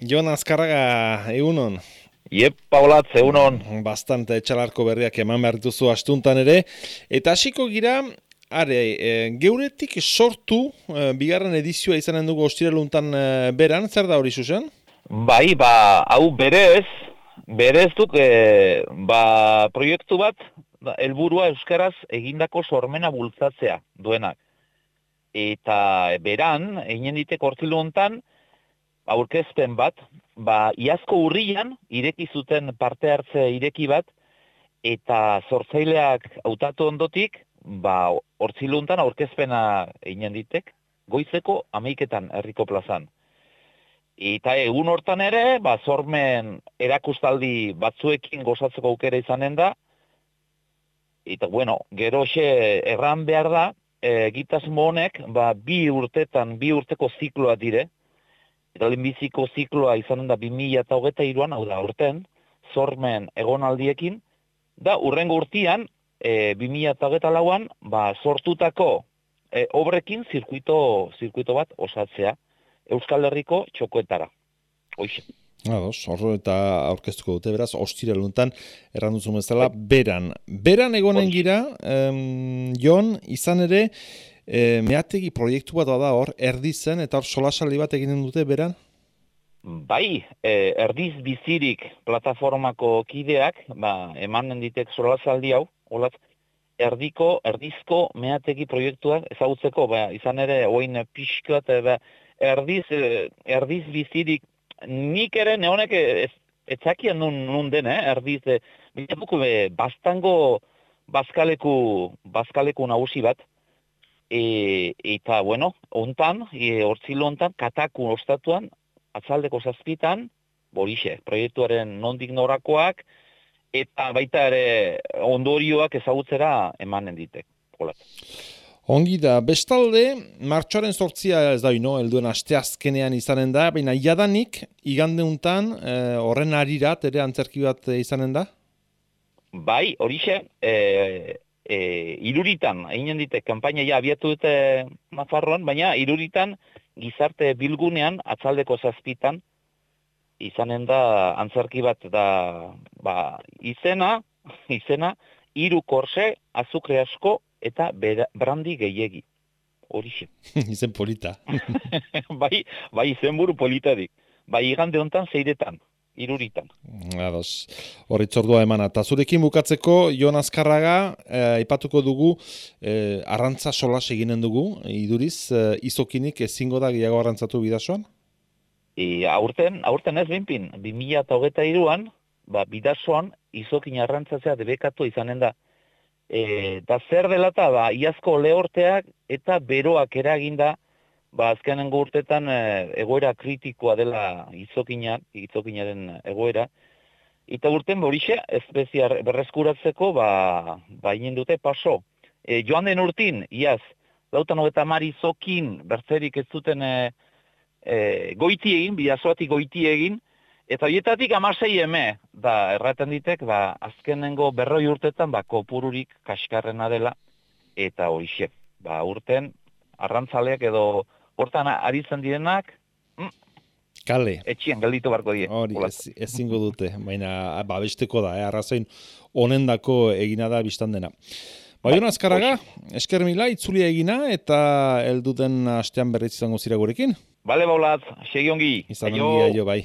Jon Azkarraga, egunon. Iep, Paulat, zeunon. Bastante etxalarko berriak eman behar dituzu astuntan ere. Eta hasiko gira, geuretik sortu, bigarren edizioa izanen dugu ostiraluntan beran, zer da hori zuzen? Bai, hau berez duk, proiektu bat, helburua euskaraz egindako sormena bultzatzea duenak. Eta beran, egin ditek hortzilu hontan, aurkezpen bat, iazko urrian, ireki zuten parte hartze ireki bat, eta sortzaileak hautatu ondotik, hortzilu hontan aurkezpena egin ditek, goizeko 11etan herriko plazan. Eta egun hortan ere, sormen erakustaldi batzuekin gozatzeko aukera izanen da, eta gero erran behar da, egitasmo honek, bi urteko zikloa dire, eta lehenbiziko zikloa izanen da 2023an, hau da urten, sormen egonaldiekin, da urrengo urtian, 2024an, sortutako obrekin zirkuito bat osatzea, Euskal Herriko txokoetara. Hoixe. Horro eta aurkeztuko dute, beraz, ostiraluntan erranduzu bezala, beran. Beran egonen gira, Jon, izan ere, meategi proiektu bat da hor, erdizen, eta hor solasaldi bat egiten dute, beran? Bai, erdiz bizirik plataformako kideak, emanen ditek solasaldi hau, olat, erdizko meategi proiektuak ezagutzeko, izan ere, oin pixkat, erdiz bizirik, nik ere neonek etzakian nun den, erdiz, bilapuko bastango bazkaleku nagusi bat, eta, hontan, hortzilo hontan, kataku ostatuan, atzaldeko 7 borixe, proiektuaren nondik norakoak, eta baita ere ondorioak ezagutzera emanen ditek. Ongi da, bestalde, martxoaren 8 ez da helduen asteazkenean izanen da, baina jadanik, igandeuntan, horren arirat ere antzerki bat izanen da? Bai, horixe, Iruritan, eginen dite, kanpaina abiatu dute Nafarroan, baina Iruritan gizarte bilgunean, atzaldeko 7 izanen da antzerki bat da, izena, 3 korse, azukre asko, eta brandi gehiegi. Horixe. Izen polita. Bai, izenburu politadik. Igande hontan 6etan, Iruritan. Ados, horritzordua emana. Ta zurekin bukatzeko, Jon Azkarraga, aipatuko dugu, arrantza solas eginen dugu, iduriz, izokinik ezingo da gehiago arrantzatu bidasoan? Aurten ez binpin, 2023an, bidasoan izokin arrantzatzea debekatu izanen da. Da zer dela eta iazko lehorteak eta beroak eraginda, azkenengo urtetan egoera kritikoa dela izokinaren egoera. Eta urten horixe, espeziar berreskuratzeko, egin dute paso. Joan den urtin, iaz, 90 izokin bertzerik ez zuten goiti egin, bidazoatik goiti egin, eta horietatik 16 eme, erraten ditek, azkenengo 40 urtetan, kopururik kaskarrena dela, eta horixe, urten, arrantzaleak edo hortan aritzen direnak, Kale. Etxien gelditu barko die. Hori, ezingo dute, baina besteko da, arrazoin honendako egina da biztan dena. Jon Azkarraga, esker mila, itzulia egina, eta helduten astean berriz izango zira gurekin. Bale, Paulat, segi ongi. Izan ongi, bai.